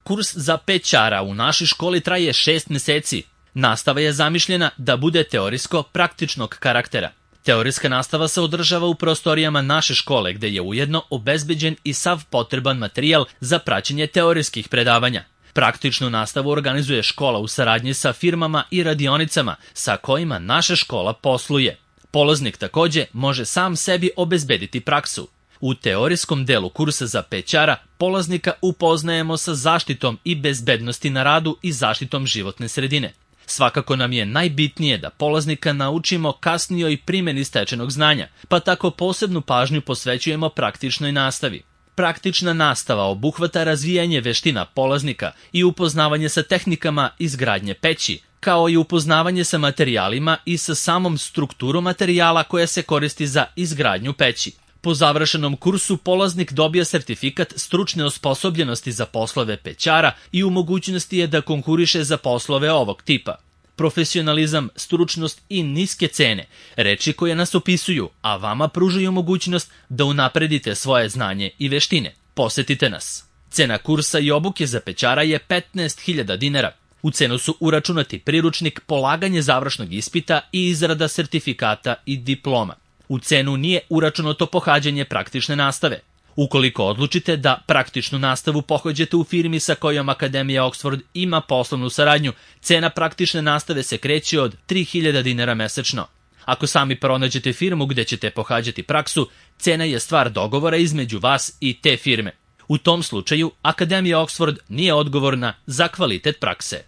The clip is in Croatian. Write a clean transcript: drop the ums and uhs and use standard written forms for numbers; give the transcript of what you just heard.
Kurs za pećara u našoj školi traje 6 meseci. Nastava je zamišljena da bude teorijsko-praktičnog karaktera. Teorijska nastava se održava u prostorijama naše škole, gde je ujedno obezbeđen i sav potreban materijal za praćenje teorijskih predavanja. Praktičnu nastavu organizuje škola u saradnji sa firmama i radionicama sa kojima naša škola posluje. Polaznik takođe može sam sebi obezbediti praksu. U teorijskom delu kursa za pećara polaznika upoznajemo sa zaštitom i bezbednosti na radu i zaštitom životne sredine. Svakako nam je najbitnije da polaznika naučimo kasnijoj primjeni stečenog znanja, pa tako posebnu pažnju posvećujemo praktičnoj nastavi. Praktična nastava obuhvata razvijanje veština polaznika i upoznavanje sa tehnikama izgradnje peći, kao i upoznavanje sa materijalima i sa samom strukturom materijala koja se koristi za izgradnju peći. Po završenom kursu polaznik dobija sertifikat stručne osposobljenosti za poslove pećara i u mogućnosti je da konkuriše za poslove ovog tipa. Profesionalizam, stručnost i niske cene, reči koje nas opisuju, a vama pružaju mogućnost da unapredite svoje znanje i veštine. Posetite nas. Cena kursa i obuke za pećara je 15.000 dinara. U cenu su uračunati priručnik, polaganje završnog ispita i izrada sertifikata i diploma. U cenu nije uračunato pohađanje praktične nastave. Ukoliko odlučite da praktičnu nastavu pohađate u firmi sa kojom Akademija Oxford ima poslovnu saradnju, cena praktične nastave se kreće od 3.000 dinara mesečno. Ako sami pronađete firmu gde ćete pohađati praksu, cena je stvar dogovora između vas i te firme. U tom slučaju, Akademija Oxford nije odgovorna za kvalitet prakse.